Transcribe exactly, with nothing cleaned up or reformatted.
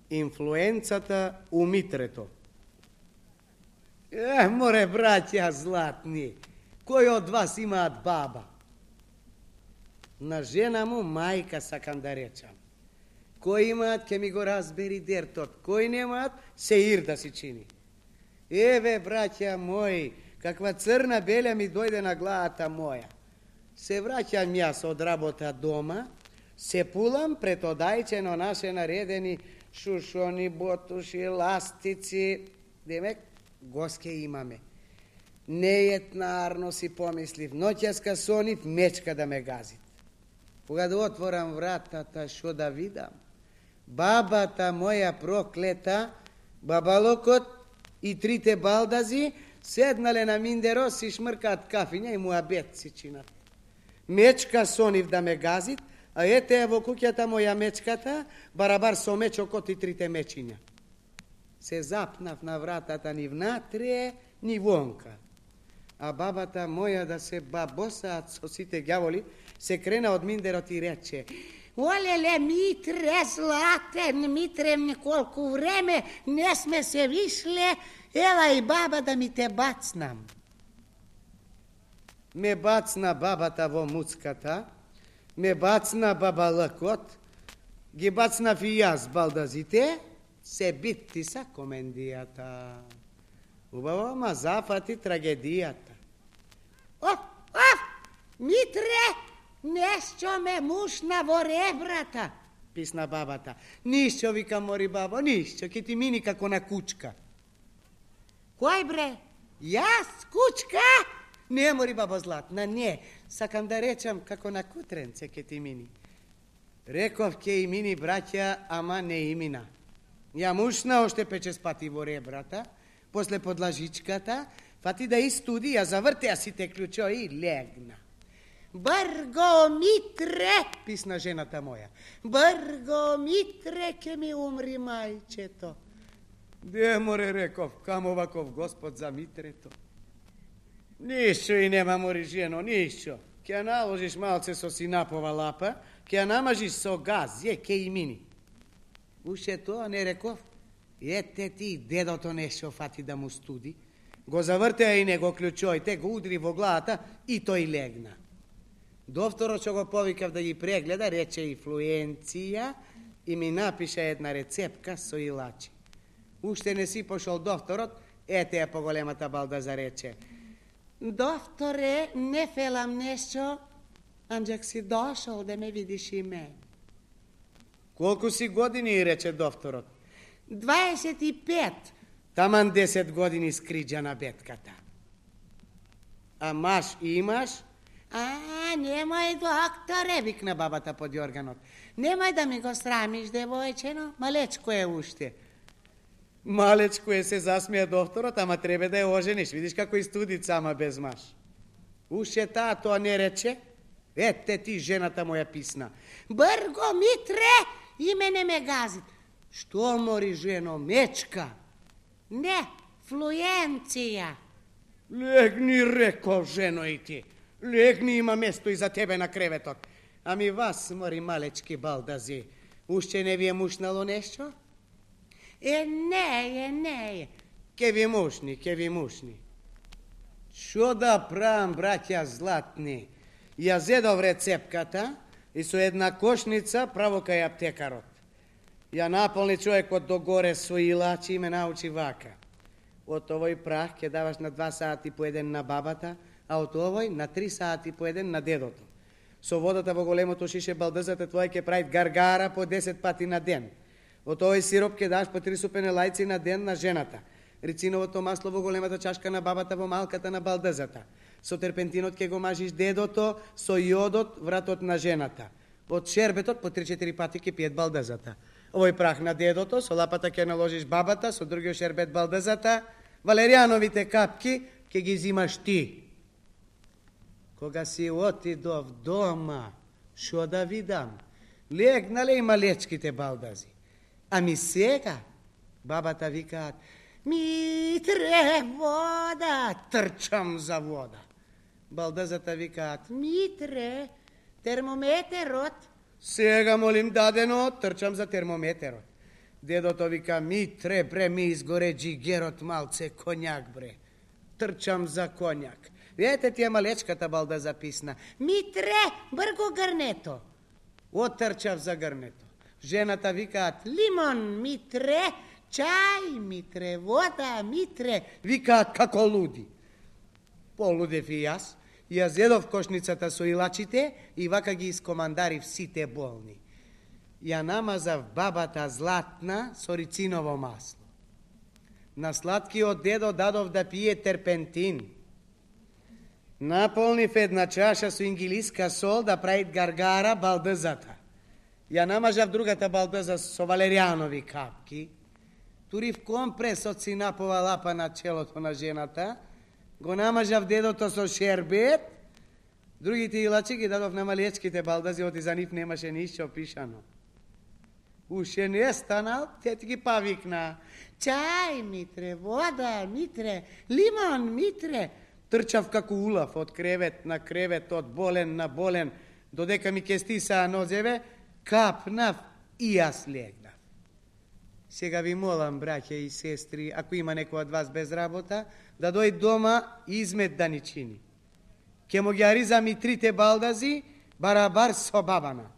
Инфлуенцата у Митрето. Е, море, братја златни, кој од вас имаат баба? На жена му мајка сакам да речам. Кој имаат, ке ми го разбери дертот. Кој немаат, се ир да си чини. Еве, браќа мои, каква црна белја ми дојде на главата моја. Се враќам јас од работа дома, се пулам пред одајчено наше наредени шушони, ботуши, ластици. Демек, госке имаме. Неетнарно си помислив, ноќаска сонив, мечка да ме газит. Кога да отворам вратата, шо да видам? Бабата моја проклета, бабалокот и трите балдази седнале на миндеро, си шмркаат кафиња и муабет си чинат. Мечка сонив да ме газит, а ете е во куќата моја мечката, барабар со мечокот и трите мечиња. Се запнав на вратата ни внатре, ни вонка. А бабата моја да се бабосаат со сите ѓаволи, се крена од миндерот и рече: Олеле, Митре, златен, Митре, колку време не сме се вишле, ела и баба да ми те бацнам. Ме бацна бабата во муцката, ме бацна бабалакот, ги бацнав и јас балдазите, се битти са комендијата. Убаво, ма зафати трагедијата. Оф, оф, Митре, нешто ме мушна во ребрата, писна бабата. Ништо, вика мори бабо, ништо, ке ти мини како на кучка. Кој бре? Јас, кучка? Не, мори бабо златна, не. Сакам да речам како на кутренце ке ти мини. Реков ке и мини браќа, ама не и мина. Ја мушна оште печес пати во ребрата, после подлажичката, фати да истуди, ја завртеа сите клучо и легна. Брго, Митре, писна жената моја. Брго, Митре, ке ми умри мајчето. Де, море, реков, камо ваков господ за Митрето. Ништо и нема, мори жено, ништо. Ке ја наложиш малце со синапова лапа, ке ја намажиш со газ, е, ке и мини. Уше тоа не реков. Ете ти, дедото нешто фати да му студи. Го завртеа и него клучојте, го удри во главата и тој легна. Докторот што го повикав да ги прегледа, рече инфлуенција и ми напиша една рецепка со илачи. Уште не си пошол докторот, ете е поголемата балдаза рече: Докторе, не фелам нешто, анџак си дошол да ме видиш и мен. Колку си години, рече докторот? дваесет и пет. Таман десет години скриџа на бетката. А маш имаш? А, немој, докторе, викна бабата под јорганот. Немој да ми го срамиш, девојчено, малечко е уште. Малечко е, се засмеа докторот, ама треба да ја ожениш. Видиш како истудица, ама без маш. Уште таа тоа не рече? Ете ти, жената моја писна. Брго, Митре, и мене ме газит. Што, мори жено, мечка? Не, флуенција. Легни, реков, жено, и ти. Легни, има место и за тебе на креветот. Ами вас, мори малечки балдази, уште не ви е мушнало нешто? Е, не е, не е. Ке ви мушни, ке ви мушни. Шо да правам, браќа златни? Ја зедов рецепката и со една кошница право кај аптекарот. Ја наполни човекот догоре со илачи и ме научи вака. Од овој прах ке даваш на два сати по еден на бабата, а од овој на три сати по еден на дедото. Со водата во големото шише балдазата твоја ке правит гаргара по десет пати на ден. Од овој сироп ке даш по три супени лајци на ден на жената. Рициновото масло во големата чашка на бабата, во малката на балдазата. Со терпентинот ке го мажиш дедото, со јодот вратот на жената. Од шербетот по три-четири пати ке пиет балдазата. Овој прах на дедото, со лапата ке наложиш бабата, со другиот шербет балдазата. Валеријановите капки ке ги зимаш ти. Кога си отидов дома, шо да видам? Легнале и малечките балдази. Ами сега, бабата викаат: Митре, вода! Трчам за вода. Балдазата викаат: Митре, термометерот. Сега молим дадено, трчам за термометерот. Дедото вика, Митре, бре, ми изгоре джигерот малце конјак, бре. Трчам за конјак. Видете тие малечката балда записна. Митре, брго грнето. Отрчав за грнето. Жената викаат, Лимон, Митре, чај, Митре, вода, Митре. Викаат како луди. Полудев и јас. Ја зедов кошницата со илачите и вака ги искомандарив сите болни. Ја намазав бабата златна со рициново масло. На сладкиот дедо дадов да пие терпентин. Наполнив една чаша со ингилиска сол да правит гаргара балдызата. Ја намажав другата балдыза со валеријанови капки. Турив компрес од синапова лапа на челото на жената. Го намажав дедото со шербет. Другите илачи ги дадов на малечките балдази, оти за нив немаше ништо пишано. Уше не станал, те ги павикна. Чај, Митре, вода, Митре, лимон, Митре. Трчав како улав од кревет на кревет, од болен на болен, додека ми ке стисаа нозеве, капнав и јас легнав. Сега ви молам, браќа и сестри, ако има некој од вас без работа, да дојде дома и измет да ни чини. Ке му ги аризам и трите балдази, барабар со бабана.